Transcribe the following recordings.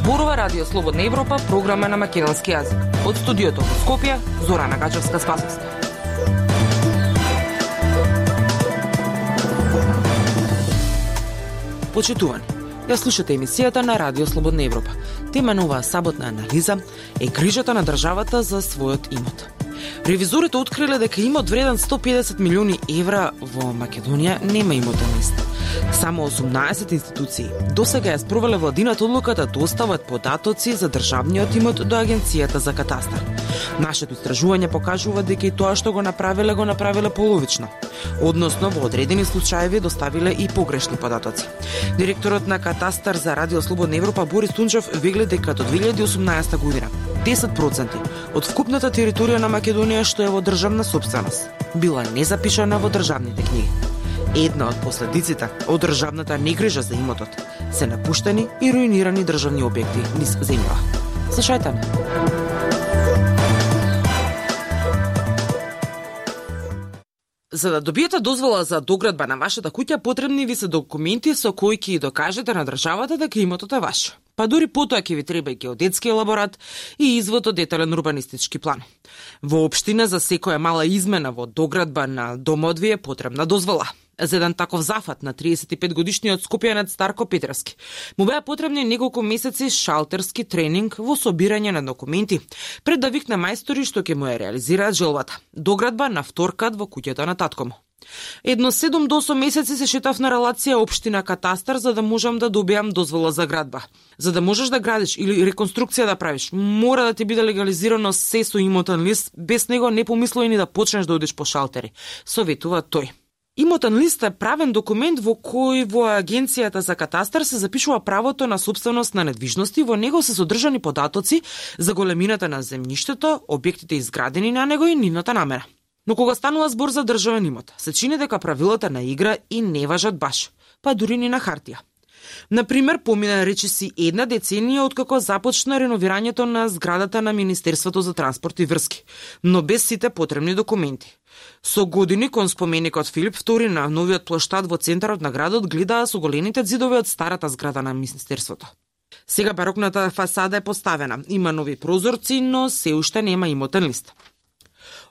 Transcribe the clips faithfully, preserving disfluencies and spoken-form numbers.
Зборува Радио Слободна Европа, програма на македонски јазик. Од студиото во Скопје, Зорана Гачевска-Спасовска. Почитувани, ја слушате емисијата на Радио Слободна Европа. Тема на оваа саботна анализа е грижата на државата за својот имот. Ревизорите откриле дека имот вреден сто и педесет милиони евра во Македонија нема имотен лист. Само осумнаесет институции досега ја спровеле владината одлука да достават податоци за државниот имот до Агенцијата за катастар. Нашето истражување покажува дека и тоа што го направиле, го направиле половично. Односно, во одредени случаеви доставиле и погрешни податоци. Директорот на Катастар за Радио Слободна Европа Борис Тунчев вели дека до две илјади и осумнаесета година десет проценти од вкупната територија на Македонија што е во државна сопственост била незапишана во државните книги. Една од последиците од државната негрижа за имотот се напуштени и руинирани државни објекти низ земјава. Слушајте ме. За да добиете дозвола за доградба на вашата куќа, потребни ви се документи со кои ќе докажете на државата дека имотот е ваш. Па дури потоа ќе ви треба и геодетски елаборат и извод од детален урбанистички план. Во општина за секоја мала измена во доградба на домот ви е потребна дозвола. За еден таков зафат на триесет и пет годишниот скопјанец Старко Петровски му беа потребни неколку месеци шалтерски тренинг во собирање на документи пред да викне мајстори што ќе му ја реализираат желбата. Доградба на вторкат во куќата на татко му. Едно седум до осум месеци се шетав на релација општина Катастар за да можам да добиам дозвола за градба. За да можеш да градиш или реконструкција да правиш, мора да ти биде легализирано се со имотен лист, без него не помислувај ни да почнеш да одиш по шалтери, советува тој. Имотен лист е правен документ во кој во Агенцијата за катастар се запишува правото на собственост на недвижности, во него се содржани податоци за големината на земјиштето, објектите изградени на него и нивната намера. Но кога станува збор за државен имот, се чини дека правилата на игра и не важат баш, па дури ни на хартија. Например, помина речиси една деценија откако започна реновирањето на зградата на Министерството за транспорт и врски, но без сите потребни документи. Со години кон споменикот Филип втори на новиот плоштад во центарот на градот гледаа со голените ѕидови од старата зграда на Министерството. Сега барокната фасада е поставена, има нови прозорци, но се уште нема имотен лист.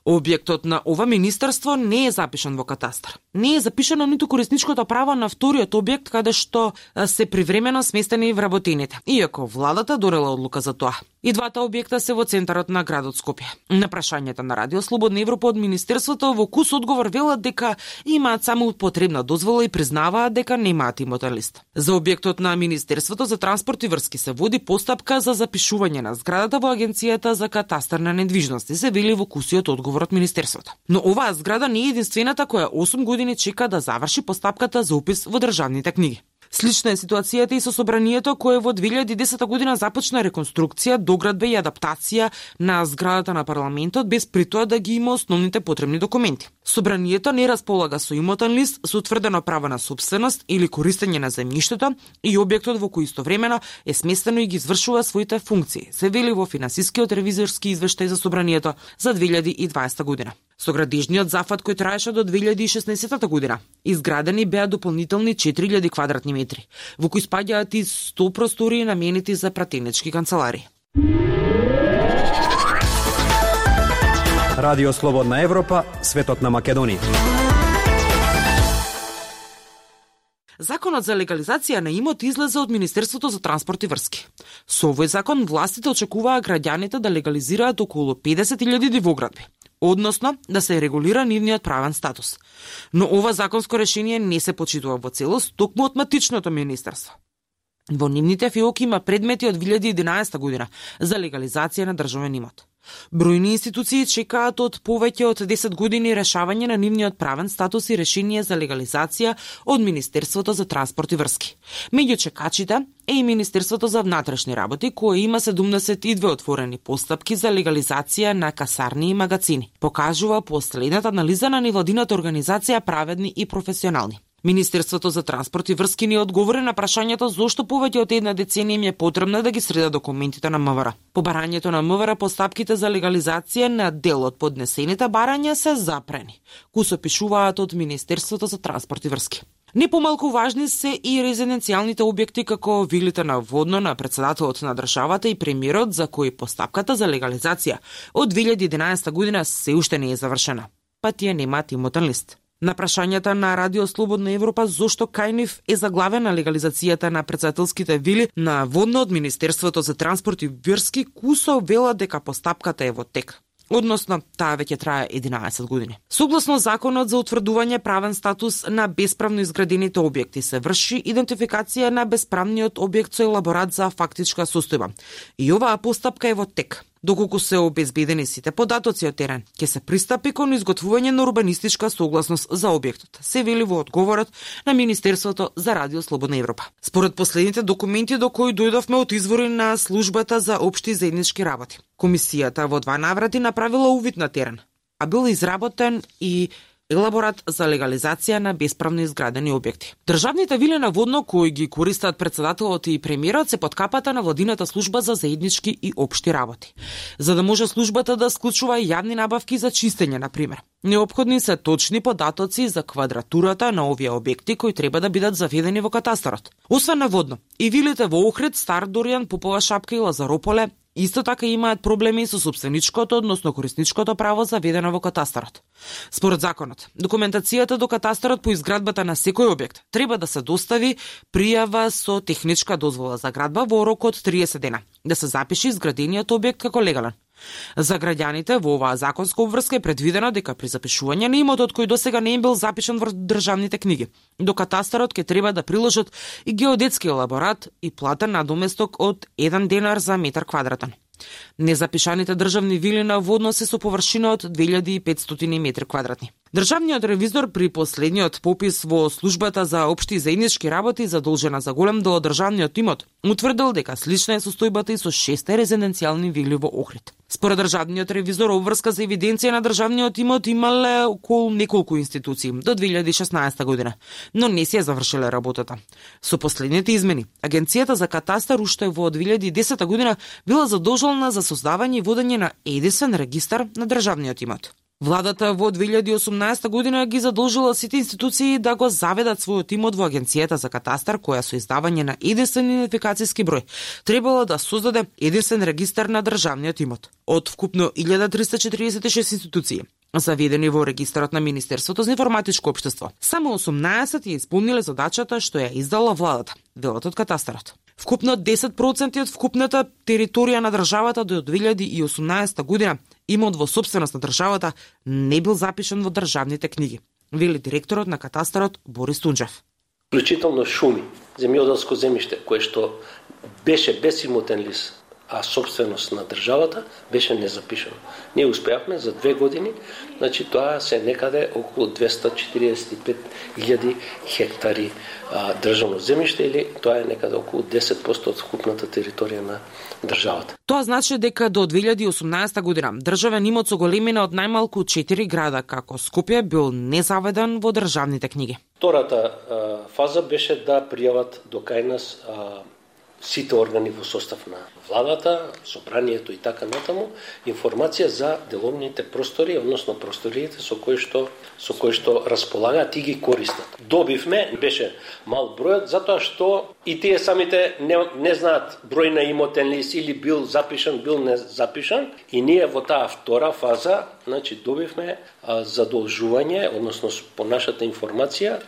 Објектот на ова министерство не е запишан во катастар. Не е запишано ниту корисничкото право на вториот објект каде што се привремено сместени вработените, иако владата донела одлука за тоа. И двата објекта се во центарот на градот Скопје. На прашањето на Радио Слободна Европа од министерството во кус одговор велат дека имаат само потребна дозвола и признаваат дека немаат имотен лист. За објектот на Министерството за транспорт и врски се води постапка за запишување на зградата во Агенцијата за катастар на недвижности, се вели во кусиот одговор од министерството. Но оваа зграда не е единствената која осум години чека да заврши постапката за упис во државните книги. Слична е ситуацијата и со собранието кое во две илјади и десета година започна реконструкција, доградба и адаптација на зградата на парламентот без при тоа да ги има основните потребни документи. Собранието не располага со имотен лист, со утврдено право на собственост или користење на земјиштето и објектот во кој истовремено е сместено и ги извршува своите функции, се вели во финансискиот ревизорски извештај за собранието за две илјади и дваесета година. Со градежниот зафат кој траеше до две илјади и шеснаесета година, изградени беа дополнителни четири илјади квадратни метри, во кои спаѓаат и сто простори наменети за пратенички канцеларии. Радио Слободна Европа, светот на Македонија. Законот за легализација на имот излезе од Министерството за транспорт и врски. Со овој закон властите очекуваа граѓаните да легализираат околу педесет илјади дивоградби, односно да се регулира нивниот правен статус. Но ова законско решение не се почитува во целост токму од матичното министерство. Во нивните фиоки има предмети од две илјади и единаесета година за легализација на државен имот. Бројни институции чекаат од повеќе од десет години решавање на нивниот правен статус и решение за легализација од Министерството за транспорт и врски. Меѓу чекачите е и Министерството за внатрешни работи, кое има седумдесет и две отворени постапки за легализација на касарни и магазини. Покажува последната анализа на невладината организација Праведни и професионални. Министерството за транспорт и врски ни одговори на прашањето зошто повеќе од една деценија им е потребно да ги среда документите на МВР. По барањето на МВР постапките за легализација на дел од поднесените барања се запрени, кои се пишуваат од Министерството за транспорт и врски. Не помалку важни се и резиденцијалните објекти како вилите на водно на председателот на државата и премиерот, за кои постапката за легализација од две илјади и единаесетта година се уште не е завршена, па тие немаат имотен лист. На прашањата на Радио Слободна Европа зошто кај нив е заглавена легализацијата на председателските вили на водно од Министерството за транспорт и врски, Кусо вела дека постапката е во тек. Односно, таа веќе трае единаесет години. Согласно законот за утврдување правен статус на бесправно изградените објекти, се врши идентификација на бесправниот објект со елаборат за фактичка состојба. И оваа постапка е во тек. Доколку се обезбедени сите податоци од терен, ќе се пристапи кон изготвување на урбанистичка согласност за објектот, се вели во одговорот на Министерството за Радио Слободна Европа. Според последните документи до кои дојдовме од извори на Службата за општи и заеднички работи, комисијата во два наврати направила увид на терен, а бил изработен и елаборат за легализација на бесправно изградени објекти. Државните вили на водно кои ги користат председателот и премиерот се под капата на владината служба за заеднички и општи работи. За да може службата да склучува јавни набавки за чистење, на пример, неопходни се точни податоци за квадратурата на овие објекти кои треба да бидат заведени во катастарот. Освен на водно, и вилите во Охрид, Стар Доријан, Попова шапка и Лазарополе исто така имаат проблеми со собственичкото, односно корисничкото право заведено во катастарот. Според законот, документацијата до катастарот по изградбата на секој објект треба да се достави пријава со техничка дозвола за градба во рок од триесет дена, да се запише изградениот објект како легален. За граѓаните во оваа законска обврска е предвидено дека при запишување на имотот кој досега не им бил запишан во државните книги, до катастарот ќе треба да приложат и геодетски елаборат и платен надоместок од еден денар за метар квадратен. Незапишаните државни вили на водно се со површина од две илјади и петстотини метри квадратни. Државниот ревизор при последниот попис во Службата за општи и заеднички работи задолжена за голем дел од државниот имот утврдил дека слична е состојбата и со шесте резиденцијални вили во Охрид. Според државниот ревизор, обврска за евиденција на државниот имот имале околу неколку институции до две илјади и шеснаесетта година, но не се е завршиле работата. Со последните измени, Агенцијата за катастар уште во две илјади и десета година била задолжена за создавање и водење на единствен регистар на државниот имот. Владата во две илјади и осумнаесетта година ги задолжила сите институции да го заведат својот имот во Агенцијата за катастар, која со издавање на единствен идентификацијски број требала да создаде единствен регистар на државниот имот. Од вкупно илјада триста четиридесет и шест институции заведени во регистарот на Министерството за информатичко општество, само осумнаесет ја исполниле задачата што ја издала владата, велат од катастарот. Вкупно десет проценти од вкупната територија на државата до две илјади и осумнаесетта година имот во собственост на државата не бил запишан во државните книги, вели директорот на катастарот Борис Тунџев. Вклучително шуми, земјоделско земјиште кое што беше без имотен лист, а собственост на државата беше незапишано. Ние успеавме за две години, значи тоа се некаде околу двеста четиридесет и пет илјади хектари а, државно земјиште, или тоа е некаде околу десет проценти од вкупната територија на државата. Тоа значи дека до две илјади и осумнаесетта година државен имот со големина од најмалку четири града како Скопје бил незаведен во државните книги. Втората а, фаза беше да пријават до кај нас а, сите органи во состав на владата, собранието и така натаму, информација за деловните простори, односно просториите со кои што со кои што располагаат и ги користат. Добивме, беше мал бројот, затоа што и тие самите не, не знаат број на имотен лист, или бил запишан, бил не запишан, и ние во таа втора фаза, значи добивме а, задолжување, односно по нашата информација,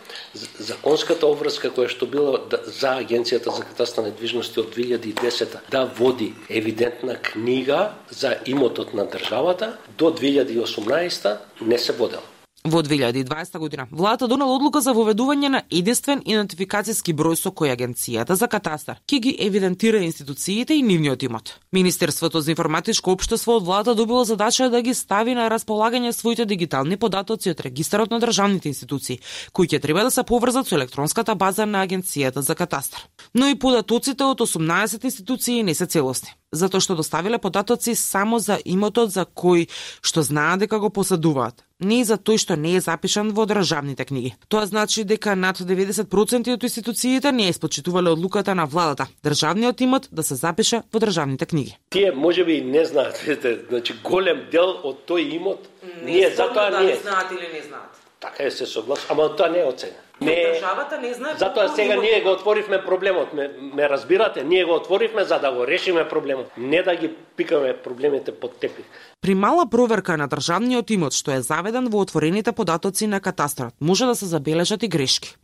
законската обврска која што била за Агенцијата за катастар недвижности од две илјади и десета да води евидентна книга за имотот на државата, до две илјади и осумнаесетта не се водела. Во две илјади и дваесетта година владата донела одлука за воведување на единствен идентификацијски број со кој Агенцијата за катастар ќе ги евидентира институциите и нивниот имот. Министерството за информатичко општество од владата добило задача да ги стави на располагање своите дигитални податоци од регистарот на државните институции, кои ќе треба да се поврзат со електронската база на Агенцијата за катастар. Но и податоците од осумнаесет институции не се целосни, затоа што доставиле податоци само за имотот за кој што знаат дека го поседуваат, не и за тој што не е запишан во државните книги. Тоа значи дека над деветдесет проценти од институциите не испочитувале одлуката на владата државниот имот да се запише во државните книги. Тие можеби не знаат, видите, значи голем дел од тој имот не ние затоа да ние знаат или не знаат. Така е, се согласувам, ама тоа не е оценка. Не, државата не знае. Затоа сега ние го отворивме проблемот. Ме, ме разбирате? Ние го отворивме за да го решиме проблемот, не да ги пикаме проблемите под тепих. При мала проверка на државниот имот што е заведен во отворените податоци на катастрот, може да се забележат и грешки.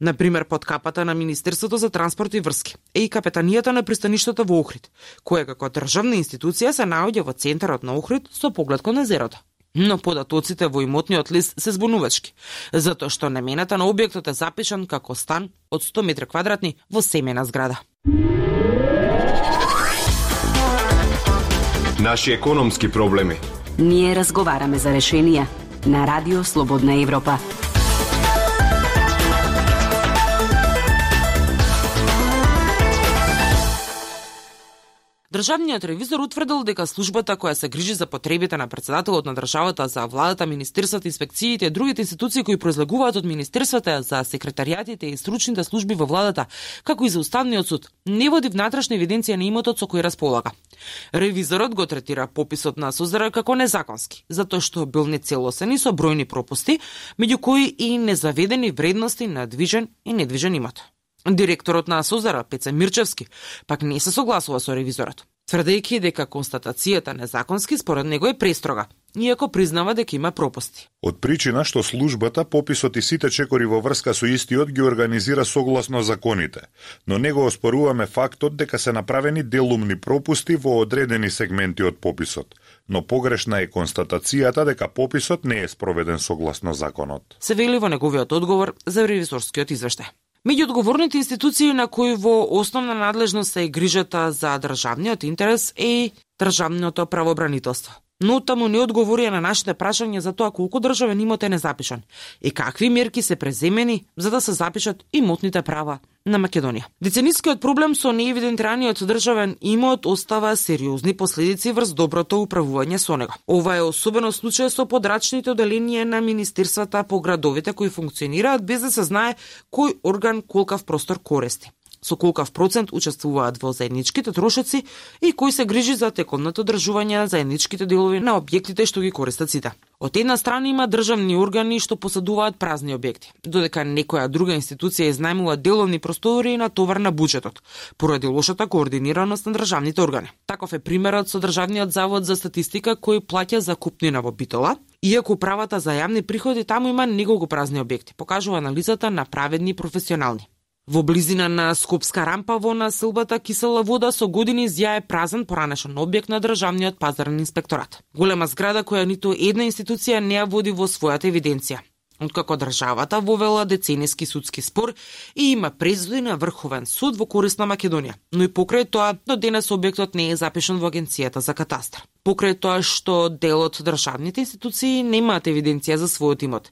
Например, под капата на Министерството за транспорт и врски е и капетанијата на пристаништето во Охрид, кое како државна институција се наоѓа во центарот на Охрид со поглед кон езерото. Но податоците во имотниот лист се збунувачки, затоа што намената на објектот е запишан како стан од сто метри квадратни во семејна зграда. Наши економски проблеми. Ние разговараме за решенија на Радио Слободна Европа. Државниот ревизор утврдил дека службата која се грижи за потребите на председателот на државата, за владата, министерствата, инспекциите и другите институции кои произлегуваат од министерствата, за секретаријатите и стручните служби во владата, како и за Уставниот суд, не води внатрешна евиденција на имотот со кој располага. Ревизорот го третира пописот на СУЗР како незаконски, затоа што бил нецелосен и со бројни пропусти, меѓу кои и незаведени вредности на движен и недвижен имот. Директорот на СУЗР, Пеце Мирчевски, пак не се согласува со ревизорот, тврдејќи дека констатацијата незаконски според него е престрога, иако признава дека има пропусти. Од причина што службата пописот и сите чекори во врска со истиот ги организира согласно законите, но не го оспоруваме фактот дека се направени делумни пропусти во одредени сегменти од пописот, но погрешна е констатацијата дека пописот не е спроведен согласно законот. Се вели во неговиот одговор за ревизорскиот извештај. Меѓу одговорните институции на кои во основна надлежност се грижата за државниот интерес е државното правобранителство. Но таму не одговори на нашите прашања за тоа колку државен имот е незапишан и какви мерки се преземени за да се запишат имотните права на Македонија. Деценискиот проблем со неевидентираниот државен имот остава сериозни последици врз доброто управување со него. Ова е особено случај со подрачните оделенија на министерствата по градовите кои функционираат без да се знае кој орган колкав простор користи, со колкав процент учествуваат во заедничките трошоци и кој се грижи за теконното одржување на заедничките делови на објектите што ги користат сите. Од една страна има државни органи што посадуваат празни објекти, додека некоја друга институција изнајмува деловни простори на товар на буџетот, поради лошата координираност на државните органи. Таков е примерот со Државниот завод за статистика кој плаќа за купнина во Битола, иако правата за јавни приходи таму има неколку празни објекти, покажува анализата на праведни професионални. Во близина на Скопска рампа во населбата Кисела вода со години зјае празен поранешен објект на државниот пазарен инспекторат. Голема зграда која ниту една институција не ја води во својата евиденција. Откако државата вовела децениски судски спор и има презуди на Врховен суд во корист на Македонија, но и покрај тоа до денес објектот не е запишан во Агенцијата за катастар. Покрај тоа што дел од државните институции немаат евиденција за својот имот,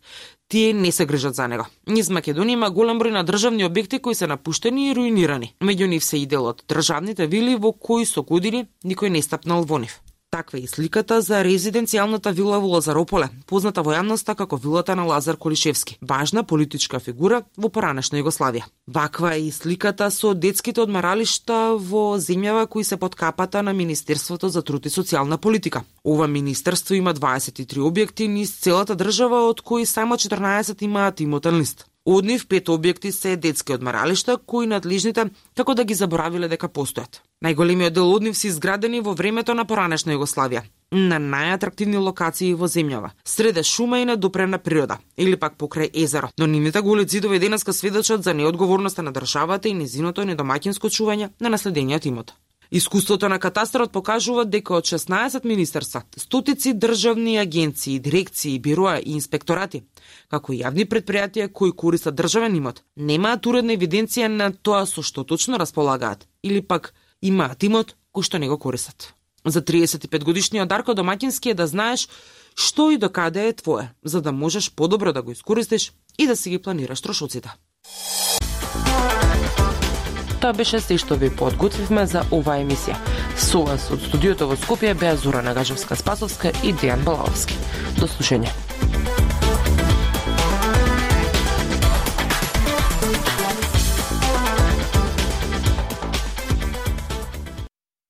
тие не се грижат за него. Низ Македонија има голем број на државни објекти кои се напуштени и руинирани. Меѓу нив се и дел од државните вили во кои со години никој не стапнал во нив. Таква е и сликата за резиденцијалната вила во Лазарополе, позната во јавноста како вилата на Лазар Колишевски, важна политичка фигура во поранешна Југославија. Ваква е и сликата со детските одмаралишта во земјава кои се под капата на Министерството за труд и социјална политика. Ова министерство има дваесет и три објекти низ целата држава, од кои само четрнаесет имаат имотен лист. Од нив пет објекти се детски одмаралишта кои надлежните како да ги заборавиле дека постојат. Најголемиот дел од нив се изградени во времето на поранешна Југославија, на најатрактивни локации во земјава, среде шума и недопрена природа, или пак покрај езеро. Но нивните голи ѕидови денеска сведочат за неодговорноста на државата и незиното недомаќинско чување на наследениот имот. Искуството на катастарот покажува дека од шеснаесет министерства, стотици државни агенции, дирекции, бироа и инспекторати, како и јавни предпријатија кои користат државен имот, немаат уредна евиденција на тоа со што точно располагаат, или пак имаат имот кој што не го користат. За триесет и пет годишниот Дарко Домаќински е да знаеш што и до каде е твое, за да можеш подобро да го искористиш и да си ги планираш трошоците. Тоа беше се што ви подготвивме за оваа емисија. Со вас од студиото во Скопје беа Зора Нагажевска-Спасовска и Дејан Балаовски. До слушање.